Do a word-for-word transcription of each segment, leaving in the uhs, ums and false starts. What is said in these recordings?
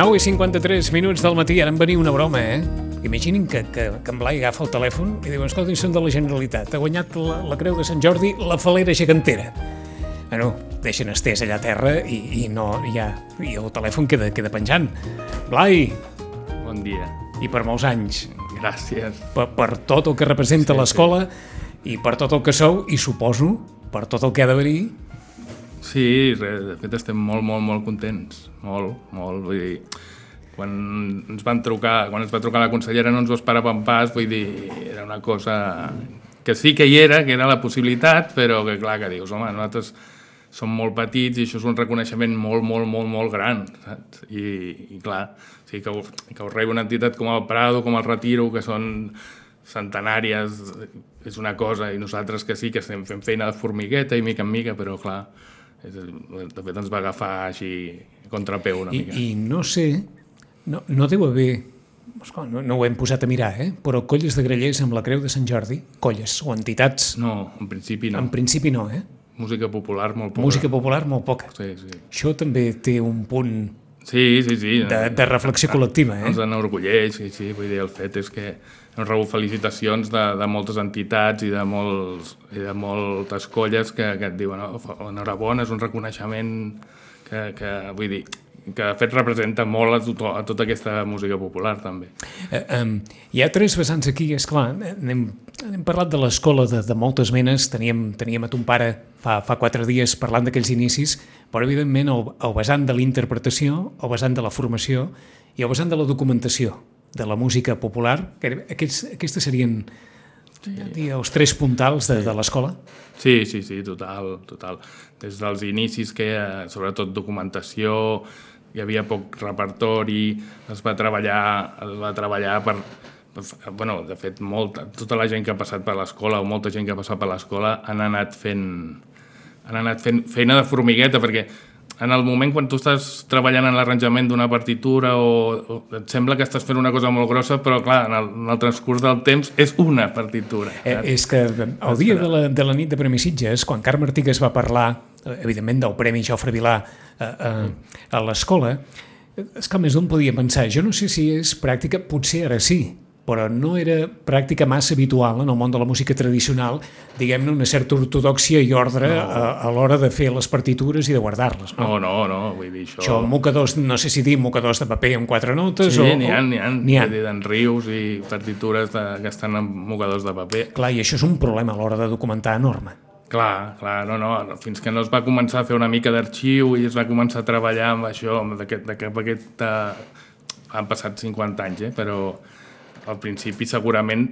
nou i cinquanta-tres minuts del matí, ara em venia una broma, eh? Imaginin que, que, que en Blai agafa el telèfon i diu, escolta, són de la Generalitat, ha guanyat la, la Creu de Sant Jordi la falera gegantera. Bueno, deixen estès allà a terra i, i, no, ja, i el telèfon queda, queda penjant. Blai! Bon dia. I per molts anys. Gràcies. Per, per tot el que representa sí, l'escola sí. I per tot el que sou, i suposo, per tot el que ha de venir. Sí, de fet estem molt, molt, molt contents. Molt, molt, vull dir... Quan ens van trucar, quan ens va trucar la consellera no ens ho esperàvem pas, vull dir, era una cosa que sí que hi era, que era la possibilitat, però que clar, que dius, home, nosaltres som molt petits i això és un reconeixement molt, molt, molt, molt gran, saps? I, i clar, sí, que, ho, que ho rebi una entitat com el Prado, com el Retiro, que són centenàries, és una cosa, i nosaltres que sí, que estem fent feina de formigueta i mica en mica, però clar, és, de fet ens va agafar així contrapeu una I, mica. I no sé... No, no deu haver, no, no ho hem posat a mirar, eh? Però colles de grallers amb la Creu de Sant Jordi, colles o entitats... No, en principi no. En principi no, eh? Música popular molt poca. Música popular molt poca. Sí, sí. Això també té un punt sí, sí, sí. De, de reflexió col·lectiva, eh? Ens enorgulleix, sí, sí. Vull dir, el fet és que hem rebut felicitacions de, de moltes entitats i de, molts, i de moltes colles que, que et diuen oh, enhorabona, és un reconeixement que, que vull dir... que de fet representa molt a, tot, a tota aquesta música popular també. Eh, um, hi ha tres vessants aquí, és clar, hem, hem parlat de l'escola de, de moltes menes, teníem, teníem a ton pare fa, fa quatre dies parlant d'aquells inicis, però evidentment el, el vessant de l'interpretació, el vessant de la formació i el vessant de la documentació de la música popular, que aquests, aquests serien sí. dir, els tres puntals de, de l'escola? Sí, sí, sí, total, total. Des dels inicis que hi ha, sobretot documentació, hi havia poc repertori, es va treballar, es va treballar per, per... Bueno, de fet, molta, tota la gent que ha passat per l'escola o molta gent que ha passat per l'escola han anat fent, han anat fent feina de formigueta, perquè en el moment quan tu estàs treballant en l'arranjament d'una partitura o, o et sembla que estàs fent una cosa molt grossa, però clar, en el, en el transcurs del temps és una partitura. Eh, és que el dia de la, de la nit de Premi Sitges, quan Carme Artigas va parlar, evidentment, del Premi Jofre Vilà a, a, a l'escola, és que més d'un podia pensar, jo no sé si és pràctica, potser ara sí, però no era pràctica massa habitual en el món de la música tradicional, diguem-ne, una certa ortodòxia i ordre no. a, a l'hora de fer les partitures i de guardar-les. No, no, no, no vull dir això... Això, mocadors, no sé si dir mocadors de paper amb quatre notes sí, o... Sí, n'hi ha, n'hi ha, n'hi ha. Vull dir, d'en rius i partitures de, que estan amb mocadors de paper. Clar, i això és un problema a l'hora de documentar enorme. Clar, clar, no, no, fins que no es va començar a fer una mica d'arxiu i es va començar a treballar amb això, amb aquest, d'aquest, aquest, uh, han passat cinquanta anys, eh, però al principi segurament,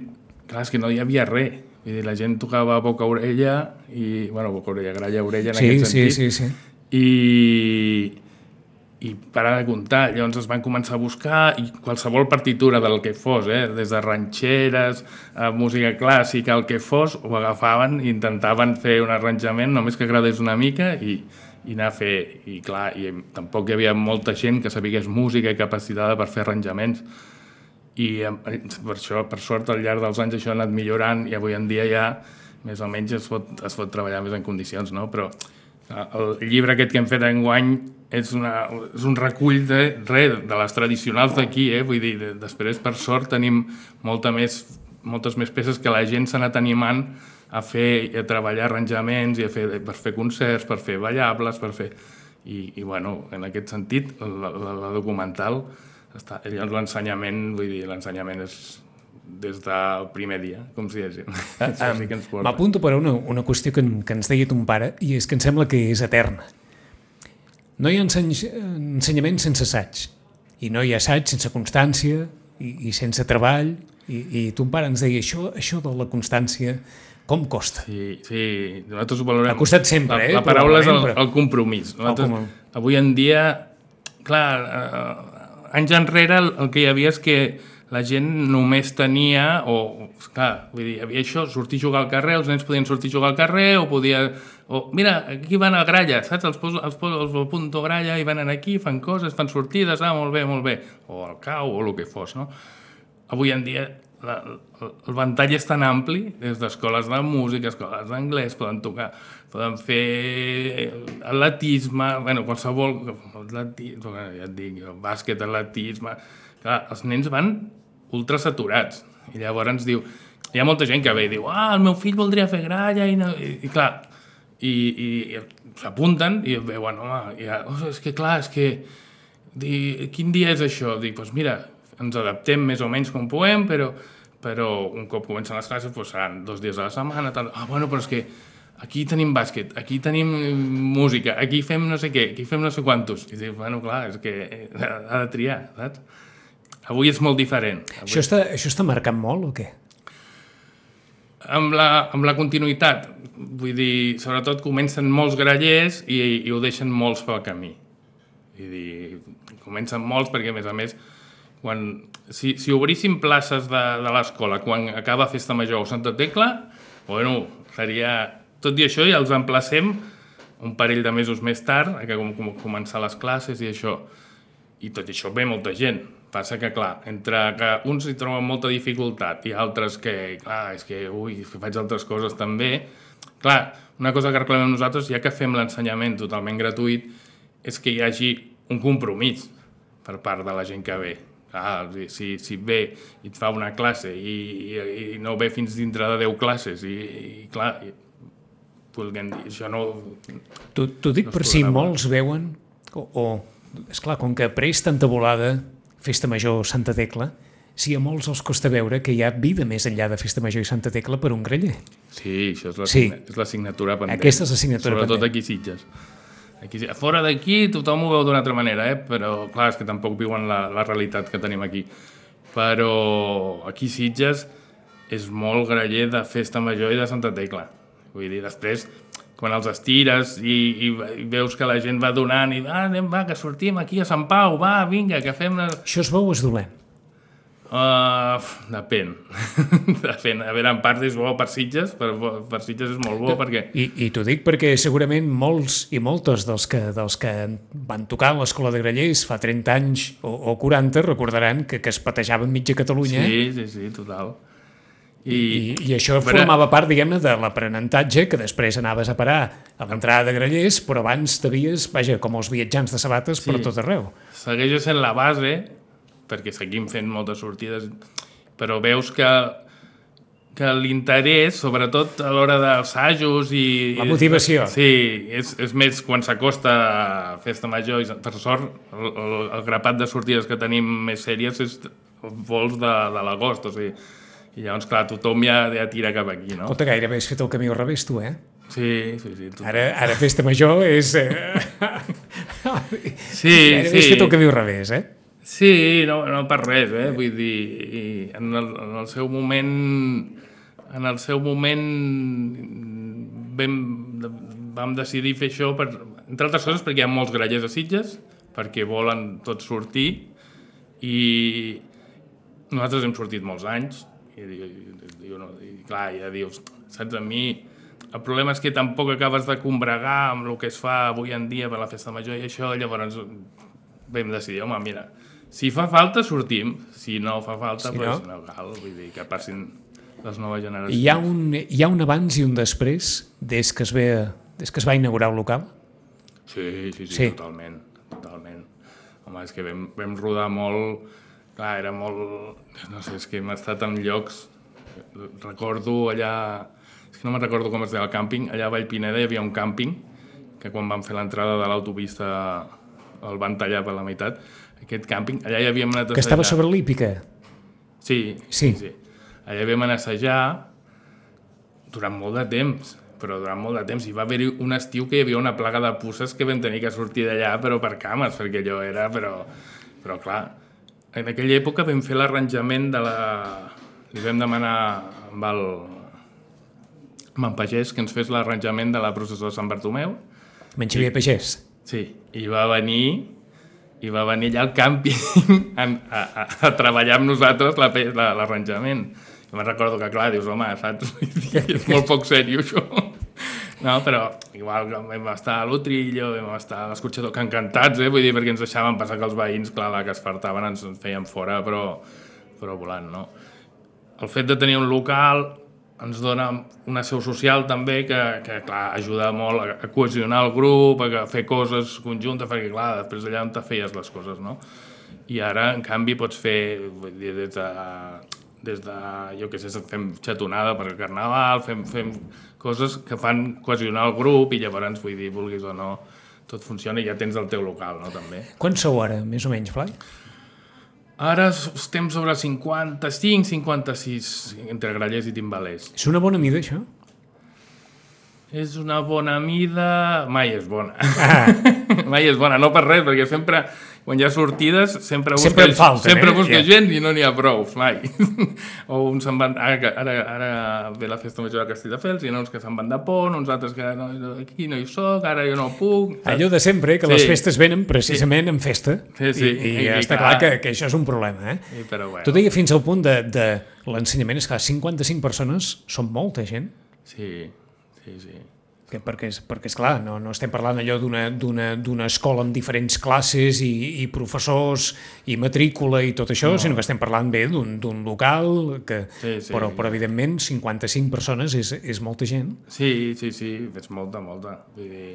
clar, és que no hi havia res, vull dir, la gent tocava boca orella i, bueno, boca orella, gralla orella en sí, aquest sentit, sí, sí, sí. i i parar de comptar, llavors es van començar a buscar i qualsevol partitura del que fos, eh, des de ranxeres a música clàssica, el que fos, ho agafaven i intentaven fer un arranjament només que agradés una mica i, i anar a fer, i clar, i tampoc hi havia molta gent que sabigués música i capacitada per fer arranjaments i per això, per sort, al llarg dels anys això ha anat millorant i avui en dia ja més o menys es pot, es pot treballar més en condicions, no? Però el llibre aquest que hem fet enguany és, una, és un recull de, re, de les tradicionals d'aquí, eh? Vull dir, de, després, per sort, tenim molta més, moltes més peces que la gent s'ha anat animant a fer i a treballar arranjaments i a fer, per fer concerts, per fer ballables, per fer... I, i bueno, en aquest sentit, la, la, la documental, està, l'ensenyament, vull dir, l'ensenyament és des del primer dia, com si diguéssim. Uh, um, M'apunto per a una, una qüestió que, que ens deia ton pare, i és que em sembla que és eterna. No hi ha enseny, ensenyament sense assaig, i no hi ha assaig sense constància i, i sense treball, i, i ton pare ens deia això, això de la constància, com costa? Sí, sí, nosaltres ho valorem. Ha costat sempre, la, eh? La paraula és el, el compromís. Nosaltres, com... Avui en dia, clar, eh, anys enrere el, el que hi havia és que la gent només tenia, o, clar, vull dir, hi havia això, sortir a jugar al carrer, els nens podien sortir a jugar al carrer, o podia... O, mira, aquí van a gralla, saps? Els poso, els poso els apunto a gralla i van aquí, fan coses, fan sortides, ah, molt bé, molt bé. O al cau, o el que fos, no? Avui en dia la, el ventall és tan ampli, des d'escoles de música, escoles d'anglès, poden tocar, poden fer atletisme, bueno, qualsevol, atletisme, ja et dic, bàsquet, atletisme... Clar, els nens van ultra saturats, i llavors ens diu, hi ha molta gent que ve i diu, ah, el meu fill voldria fer gralla, i, no, i, i clar, i, i, i s'apunten i veuen, home, i, oh, és que clar, és que, di, quin dia és això? Dic, doncs pues mira, ens adaptem més o menys com puguem, però, però un cop comencen les classes pues seran dos dies a la setmana, tal. Ah, bueno, però és que aquí tenim bàsquet, aquí tenim música, aquí fem no sé què, aquí fem no sé quantos. I dic, bueno, clar, és que ha de triar, saps? Avui és molt diferent. Avui... Això, està, això està marcant molt o què? Amb la, amb la continuïtat. Vull dir, sobretot comencen molts grallers i, i ho deixen molts pel camí. Vull dir, comencen molts perquè, a més a més, quan, si, si obríssim places de, de l'escola quan acaba Festa Major o Santa Tecla, bueno, seria... Tot i això ja els emplacem un parell de mesos més tard, que com, com començar les classes i això. I tot això ve molta gent. Passa que, clar, entre que uns hi troben molta dificultat i altres que, clar, és que, ui, que faig altres coses també. Clar, una cosa que reclamem nosaltres, ja que fem l'ensenyament totalment gratuït, és que hi hagi un compromís per part de la gent que ve. Clar, si, si ve i et fa una classe i, i, i no ve fins dintre de deu classes i, i clar, i, vulguem dir, això no... T'ho dic no per si molts veuen, o, o esclar, com que apareix tanta volada Festa Major Santa Tecla, si a molts els costa veure que hi ha vida més enllà de Festa Major i Santa Tecla per un graller. Sí, això és la, sí. és l'assignatura pendent. Aquesta és l'assignatura pendent. Sobretot aquí Sitges. Aquí, fora d'aquí tothom ho veu d'una altra manera, eh? Però clar, és que tampoc viuen la, la realitat que tenim aquí. Però aquí Sitges és molt graller de Festa Major i de Santa Tecla. Vull dir, després... quan els estires i, i, i veus que la gent va donant i va, anem, va, que sortim aquí a Sant Pau, va, vinga, que fem... Una... Això és bo o és dolent? Uh, depèn. depèn. A veure, en part és bo per Sitges, per, per Sitges és molt bo perquè... I, i t'ho dic perquè segurament molts i moltes dels que, dels que van tocar a l'Escola de Grallers fa trenta anys o, o quaranta recordaran que, que es patejaven mitja Catalunya. Sí, sí, sí, total. I, I, i això però... formava part, diguem-ne, de l'aprenentatge que després anaves a parar a l'entrada de Grallers, però abans t'havies, vaja, com els viatjants de sabates sí. per tot arreu. Segueix sent la base, perquè seguim fent moltes sortides, però veus que, que l'interès, sobretot a l'hora dels assajos i... La motivació. Sí, és, és més quan s'acosta a Festa Major, i per sort, el, el, el grapat de sortides que tenim més sèries és els vols de, de l'agost, o sigui... I llavors, clar, tothom ja, ja tira cap aquí, no? Escolta, gairebé has fet el camí al revés, tu, eh? Sí, sí, sí. Ara, ara Festa Major és... Eh... sí, gairebé sí. has fet el camí al revés, eh? Sí, no, no per res, eh? Vull dir, en el, en el seu moment... En el seu moment vam, vam decidir fer això, per, entre altres coses, perquè hi ha molts grallers a Sitges, perquè volen tots sortir, i nosaltres hem sortit molts anys, I, i, i, i clar, ja dius, saps, a mi el problema és que tampoc acabes de combregar amb el que es fa avui en dia per la Festa Major i això, llavors vam decidir, home, mira, si fa falta sortim, si no fa falta, sí, pues, no? no cal, vull dir, que passin les noves generacions. Hi ha un, hi ha un abans i un després des que es, ve, des que es va inaugurar el local? Sí, sí, sí, sí. totalment, totalment. Home, és que vam, vam rodar molt... Clar, era molt... No sé, és que hem estat en llocs... Recordo allà... És que no me'n recordo com es deia el càmping. Allà a Vallpineda hi havia un càmping que quan vam fer l'entrada de l'autopista el van tallar per la meitat. Aquest càmping, allà hi havíem anat a assajar... Que estava sobre l'hípica? Sí, sí, sí. Allà vam anar a assajar durant molt de temps, però durant molt de temps. Hi va haver un estiu que hi havia una plaga de puces que vam tenir que sortir d'allà, però per cames, perquè allò era... Però, però clar... En aquella època vam fer l'arranjament de la... Li vam demanar amb el... amb en Pagès que ens fes l'arranjament de la processó de Sant Bartomeu. Amb en Xavier Pagès? Sí, i va venir i va venir allà al càmping a, a, a, a treballar amb nosaltres l'arranjament. La, I me'n recordo que, clar, dius, home, saps? És molt poc sèrio, això. No, però igual vam estar a l'Utrillo, vam estar a l'Escorxador, que encantats, eh? Vull dir, perquè ens deixaven passar que els veïns, clar, la que es fartaven ens feien fora, però, però volant, no? el fet de tenir un local ens dona una seu social també que, que clar, ajuda molt a, a cohesionar el grup, a fer coses conjuntes, perquè clar, després allà on te feies les coses, no? I ara, en canvi, pots fer, vull dir, des de, des de jo què sé, fem xatonada per al carnaval, fem, fem coses que fan cohesionar el grup i llavors, vull dir, vulguis o no, tot funciona i ja tens el teu local, no, també. Quants sou ara, més o menys, Blai? Ara estem sobre cinquanta-cinc, cinquanta-sis, entre grallers i timbalers. És una bona mida, això? És una bona mida... Mai és bona. Ah. Mai és bona, no per res, perquè sempre, quan hi ha sortides, sempre busca, sempre falten, sempre eh? busca yeah. gent i no n'hi ha prou, mai. O uns se'n van... Ara, ara, ara ve la festa major de Castelldefels, i hi ha uns que se'n van de pont, uns altres que no, aquí no hi soc, ara jo no puc... Allò de sempre, que sí. Les festes venen precisament sí. en festa. Sí, sí. I, i, i està clar, clar que, que això és un problema, eh? Sí, però bueno. Tu deia fins al punt de, de l'ensenyament, és clar, cinquanta-cinc persones són molta gent. Sí, sí, sí. Que perquè, perquè esclar, no, no estem parlant allò d'una escola amb diferents classes i, i professors i matrícula i tot això, no. Sinó que estem parlant bé d'un local, que, sí, sí. Però, però evidentment cinquanta-cinc persones és, és molta gent. Sí, sí, sí, és molta, molta. Vull dir,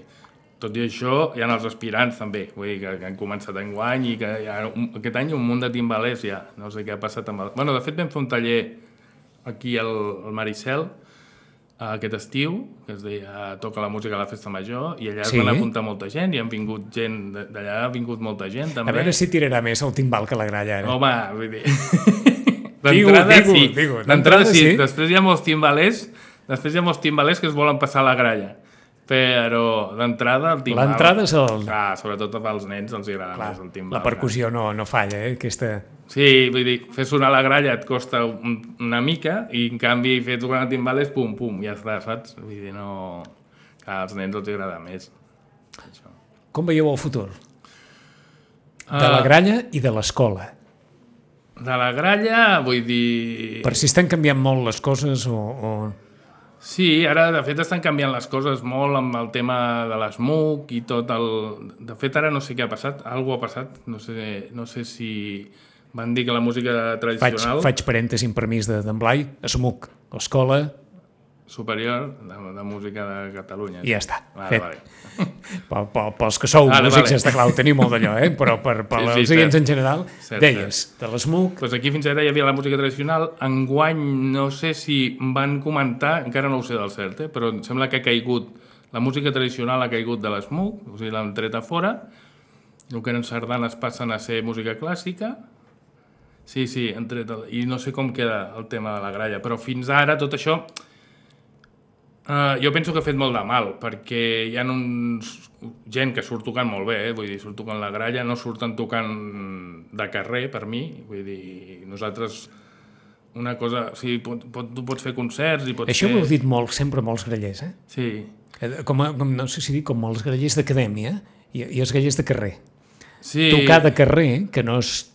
tot i això, hi ha els aspirants també, vull dir, que, que han començat enguany i que hi ha un, aquest any un munt de timbalers ja, no sé què ha passat amb el... Bueno, de fet vam fer un taller aquí al, al Maricel, aquest estiu, que es deia Toca la música a la festa major, i allà sí. Es van apuntar molta gent, i han vingut gent d'allà, ha vingut molta gent també. A veure si tirarà més el timbal que la gralla ara. Home, vull dir... D'entrada sí, d'entrada sí. sí, després hi ha molts timbalers, després hi ha molts timbalers que es volen passar a la gralla, però d'entrada el timbal... L'entrada és el... Clar, sobretot als nens els agrada clar, més el timbal. La percussió no, no falla, eh, aquesta... Sí, vull dir, fer sonar la gralla et costa un, una mica i en canvi fer tocar el timbal és pum, pum, ja està, saps? Vull dir, no... Clar, als nens els agrada més. Això. Com veieu el futur? De la gralla i de l'escola. De la gralla, vull dir... Per si estan canviant molt les coses o... o... Sí, ara de fet estan canviant les coses molt amb el tema de l'ESMUC i tot el... De fet ara no sé què ha passat, alguna ha passat, no sé, no sé si van dir que la música tradicional... Faig, faig parèntesi amb permís d'en Blai, ESMUC, l'escola... Superior de, de Música de Catalunya. I ja està, vale, fet. Vale. Pel, pel, pels que sou vale, músics, vale. Està clar, ho teniu molt d'allò, eh? Però per, per sí, els sí, oients en general, cert, deies, cert. De l'ESMUC... Pues aquí fins ara hi havia la música tradicional, enguany no sé si van comentar, encara no ho sé del cert, eh? Però em sembla que ha caigut, la música tradicional ha caigut de l'ESMUC, o sigui, l'han tret a fora, el que eren sardanes passen a ser música clàssica, sí, sí, han tret el, i no sé com queda el tema de la gralla, però fins ara tot això... Uh, jo penso que ha fet molt de mal, perquè hi ha uns, gent que surt tocant molt bé, eh? Vull dir, surt tocant la gralla, no surten tocant de carrer, per mi, vull dir, nosaltres una cosa, o sigui, pot, pot, tu pots fer concerts i pots Això fer... ho heu dit molt, sempre molts grallers, eh? Sí. Com, a, com no sé si dir, com els grallers d'acadèmia i, i els grallers de carrer. Sí. Tocar de carrer, que no és...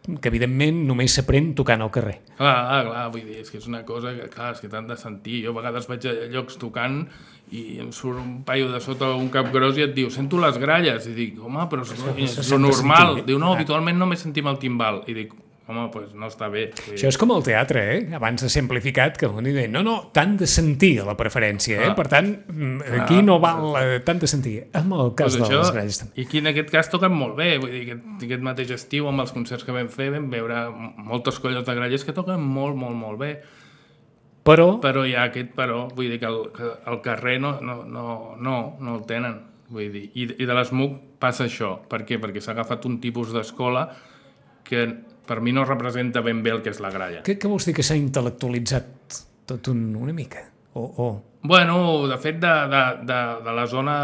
que evidentment només s'aprèn tocant al carrer. Clar, ah, clar, vull dir, és que és una cosa que, clar, és que t'han de sentir. Jo a vegades vaig a llocs tocant i em surt un paio de sota un cap gros i et diu, sento les gralles. I dic, home, però és, és, és lo normal. Diu, no, habitualment només sentim el timbal. I dic, home, doncs pues no està bé. Això és com el teatre, eh? Abans de ser amplificat, que un diu, no, no, t'han de sentir la preferència, eh? Ah. Per tant, aquí ah. no val eh, tant de sentir. En el cas pues de això, les gralles també. I aquí en aquest cas toquen molt bé, vull dir, aquest, aquest mateix estiu amb els concerts que vam fer vam veure moltes colles de grallers que toquen molt, molt, molt bé. Però... Però hi ha aquest però, vull dir que el, que el carrer no, no, no, no, no el tenen, vull dir. I, i de l'ESMUC passa això. Per què? Perquè s'ha agafat un tipus d'escola que per mi no representa ben bé el que és la gralla. Què, què vols dir que s'ha intel·lectualitzat tot un, una mica? O, o... Bueno, de fet, de, de, de, de la zona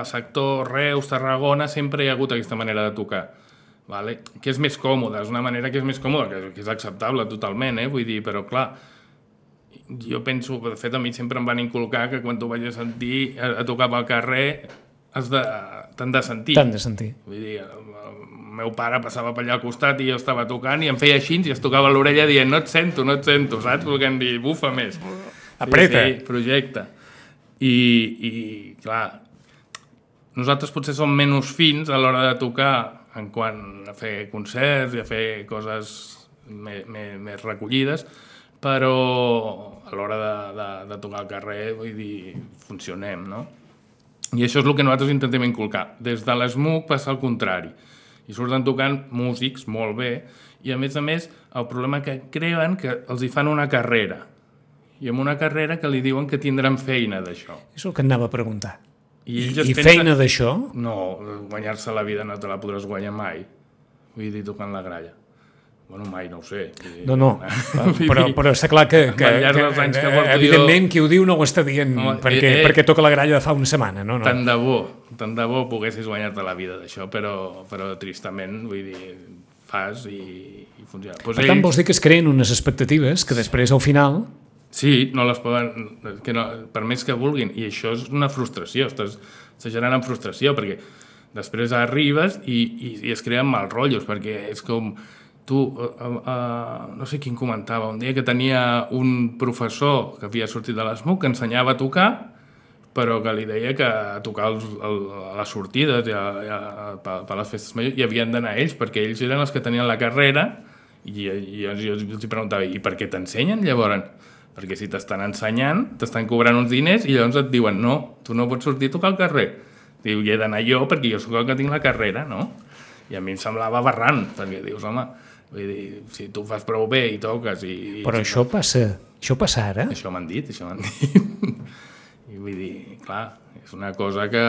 sector Reus, Tarragona, sempre hi ha hagut aquesta manera de tocar. Vale? Que és més còmode, és una manera que és més còmoda, que, que és acceptable totalment, eh? Vull dir, però clar, jo penso, de fet a mi sempre em van inculcar que quan tu vagis a sentir, a, a tocar pel carrer, has de, t'han de sentir. T'han de sentir. Vull dir, el meu pare passava per allà al costat i jo estava tocant i em feia així i es tocava a l'orella dient no et sento, no et sento, saps? Volguem dir, bufa més. Apreta. Sí, sí, projecte. I, i, clar, nosaltres potser som menys fins a l'hora de tocar en quant a fer concerts i a fer coses més, més, més recollides, però a l'hora de, de, de tocar al carrer, vull dir, funcionem, no? I això és el que nosaltres intentem inculcar. Des de l'ESMUC passa al contrari. I surten tocant músics molt bé, i a més a més el problema que creuen que els hi fan una carrera. I amb una carrera que li diuen que tindran feina d'això. És el que anava a preguntar. I, I, i feina d'això? No, guanyar-se la vida no te la podràs guanyar mai. Vull dir, tocant la gralla. Bueno, mai, no ho sé. No, no, però, però està clar que, que, que, que, que evidentment jo... qui ho diu no ho està dient no, perquè, eh, eh, perquè toca la gralla de fa una setmana. No, no. Tant de bo, tant de bo poguessis guanyar-te la vida d'això, però, però tristament, vull dir, fas i, i funciona. Pues per ells... tant, vols dir que es creen unes expectatives que després, al final... Sí, no les poden... Que no, per més que vulguin. I això és una frustració, estàs generant frustració, perquè després arribes i, i, i es creen mal rotllos, perquè és com... Tu, uh, uh, no sé quin comentava, un dia que tenia un professor que havia sortit de l'ESMUC que ensenyava a tocar, però que li deia que a tocar els, el, a les sortides i a, a, a, a les festes majors hi havien d'anar ells, perquè ells eren els que tenien la carrera, i, i jo, jo els preguntava, i per què t'ensenyen llavors? Perquè si t'estan ensenyant, t'estan cobrant uns diners i llavors et diuen, no, tu no pots sortir a tocar al carrer. Diu, hi he d'anar jo perquè jo soc el que tinc la carrera, no? I a mi em semblava aberrant, perquè dius, home, vull dir, si tu fas prou bé i toques... I, i però això passa, això passa ara? Això m'han dit, això m'han dit. I vull dir, clar, és una cosa que...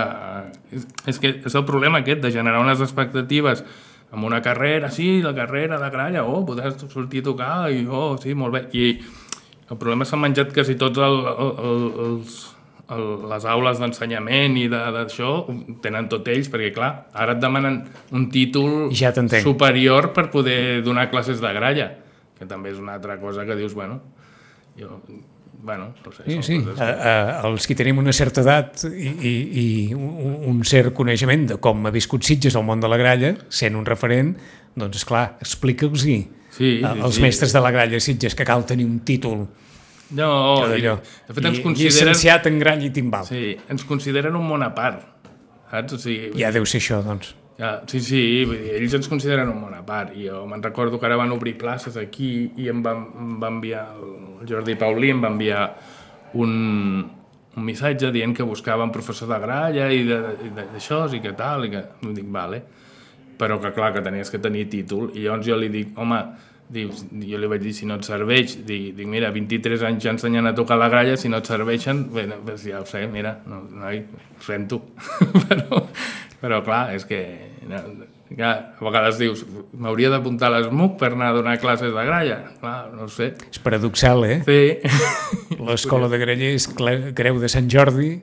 És, és que és el problema aquest, de generar unes expectatives amb una carrera, sí, la carrera, la gralla, oh, podràs sortir a tocar, i oh, sí, molt bé. I el problema s'han menjat quasi tots el, el, el, els... El, les aules d'ensenyament i d'això tenen tot ells, perquè clar, ara et demanen un títol ja superior per poder donar classes de gralla, que també és una altra cosa que dius, bueno, jo, bueno, no sé. Sí, sí. Coses... A, a, els que tenim una certa edat i, i, i un, un cert coneixement de com ha viscut Sitges al món de la gralla, sent un referent, doncs esclar, explica-los-hi sí, sí, als sí. mestres de la gralla Sitges que cal tenir un títol. No, i, de fet ens I, consideren... llicenciat en grall i timbal. Sí, ens consideren un món a part, saps? O sigui, ja deu ser això, doncs. Ja, sí, sí, vull dir, ells ens consideren un món a part. I jo me'n recordo que ara van obrir places aquí i em va, em va enviar, el Jordi Paulí em va enviar un, un missatge dient que buscaven professor de gralla i d'això, i que tal, i que... Em dic, vale. Però que clar, que tenies que tenir títol. I llavors jo li dic, home... Dius, jo li vaig dir, si no et serveix, dic, dic mira, vint-i-tres anys ja ensenyant a tocar la gralla, si no et serveixen, bé, doncs ja ho sé, mira, no, no ho sento. però, però clar, és que, no, clar, a vegades dius, m'hauria d'apuntar a l'ESMUC per anar a donar classes de gralla, clar, no ho sé. És paradoxal, eh? Sí. L'escola de grallers, Creu de Sant Jordi,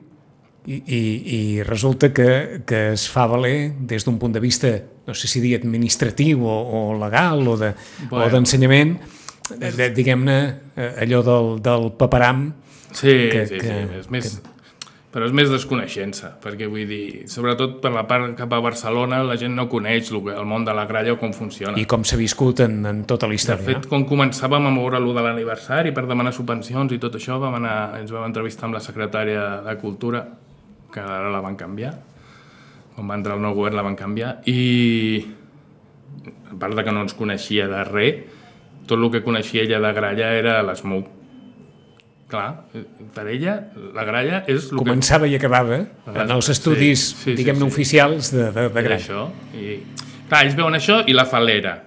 I, i, i resulta que, que es fa valer des d'un punt de vista, no sé si dir administratiu o, o legal o de, bueno, o d'ensenyament, de, diguem-ne, allò del, del paperam. Sí, que, sí, que, sí, és més, que... però és més desconeixença, perquè vull dir, sobretot per la part cap a Barcelona la gent no coneix el, el món de la gralla o com funciona. I com s'ha viscut en, en tota la història. De fet, quan començàvem a moure allò de l'aniversari per demanar subvencions i tot això, vam anar, ens vam entrevistar amb la secretària de Cultura, que ara la van canviar, quan va entrar el nou govern la van canviar, i a part de que no ens coneixia de res, tot el que coneixia ella de gralla era l'ESMUC. Clar, per ella la gralla és... El Començava que... i acabava en els estudis, sí, sí, diguem-ne, sí, sí. oficials de, de, de gralla. Això. I, clar, ells veuen això i la falera.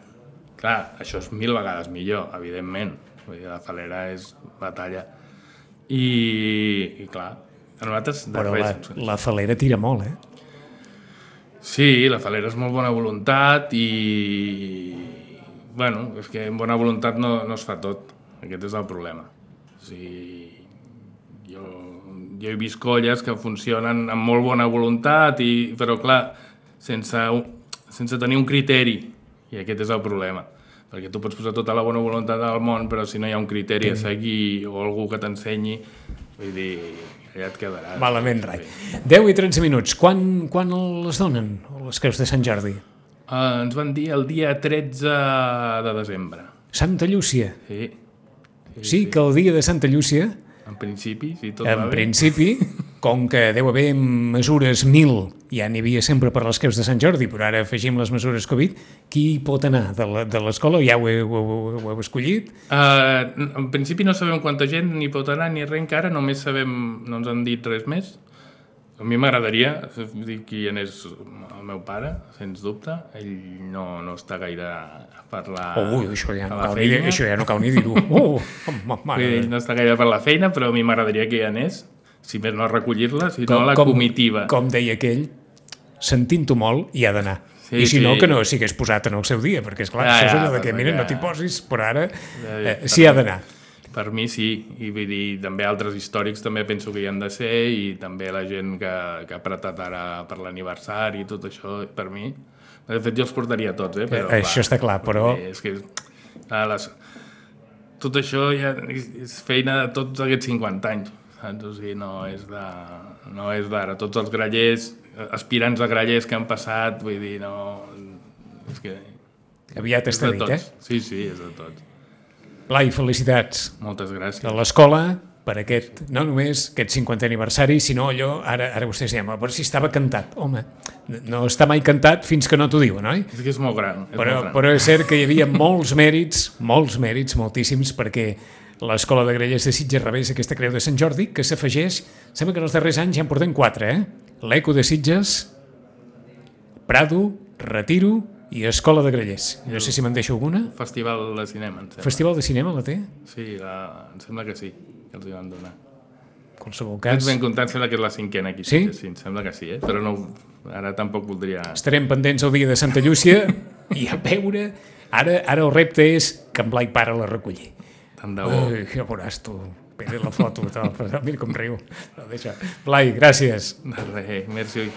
Clar, això és mil vegades millor, evidentment. Vull dir, la falera és batalla. I, i clar, a nosaltres... Però la, la falera tira molt, eh? Sí, la falera és molt bona voluntat i... Bueno, és que amb bona voluntat no, no es fa tot. Aquest és el problema. O sigui, jo, jo he vist colles que funcionen amb molt bona voluntat, i, però clar, sense, sense tenir un criteri. I aquest és el problema. Perquè tu pots posar tota la bona voluntat del món, però si no hi ha un criteri a seguir o algú que t'ensenyi, vull dir... allà et quedaràs. Malament, rai. deu i tretze minuts. Quan, quan les donen, les creus de Sant Jordi? Uh, ens van dir el dia tretze de desembre. Santa Llúcia? Sí. Sí, sí, sí, que el dia de Santa Llúcia... En principi, sí, tot en va bé. principi, com que deu haver mesures mil, ja n'hi havia sempre per les creus de Sant Jordi, però ara afegim les mesures Covid, qui pot anar de l'escola? Ja ho heu, ho, ho, ho heu escollit? Uh, en principi no sabem quanta gent ni pot anar ni res encara, només sabem, no ens han dit res més. A mi m'agradaria dir qui anés el meu pare, sens dubte. Ell no, no està gaire per la, oh, això ja no per la cal feina. Ni, això ja no cal ni dir-ho. Oh, mare. Ell no està gaire per la feina, però a mi m'agradaria que hi anés. Si més no a recollir-la, si com, no a la com, comitiva. Com deia aquell, sentint-ho molt, hi ha d'anar. Sí, I si sí. no, que no s'hi hagués posat en el seu dia, perquè, esclar, ja, això és allò ja, de que, mira, no t'hi posis, però ara ja, ja, eh, s'hi ha d'anar. Per mi sí, i vull dir, també altres històrics també penso que hi han de ser, i també la gent que, que ha apretat ara per l'aniversari i tot això, per mi. De fet, jo els portaria tots, eh? Però, eh això clar, està clar, però... És que, clar, les... tot això ja és feina de tots aquests cinquanta anys, saps? O sigui, no és de... no és d'ara. Tots els grallers, aspirants a grallers que han passat, vull dir, no... És que... Aviat està dit, eh? Sí, sí, és de tots. Blai, felicitats. Moltes gràcies. De l'escola, per aquest, no només aquest cinquantè aniversari, sinó allò, ara, ara vostès diuen, però si estava cantat. Home, no està mai cantat fins que no t'ho diuen, oi? És que és molt gran. És però, molt gran. Però és cert que hi havia molts mèrits, molts mèrits, moltíssims, perquè l'Escola de Grallers de Sitges rebés aquesta creu de Sant Jordi, que s'afegeix, sembla que en els darrers anys ja en portem quatre, eh? L'Eco de Sitges, Prado, Retiro i Escola de Grallers. No sé si me'n deixo alguna. Festival de cinema, em sembla. Festival de cinema la té? Sí, la... em sembla que sí, que els hi van donar. En qualsevol cas... Ets ben comptant, sembla que és la cinquena aquí. Sí? Sí, em sembla que sí, eh? Però no, ara tampoc voldria... Estarem pendents el dia de Santa Llúcia i a veure... Ara, ara el repte és que en Blai pare la recollir. Tant de bo. Ai, ja veuràs tu. Mira la foto, mira com riu. Blai, gràcies. De res, merci.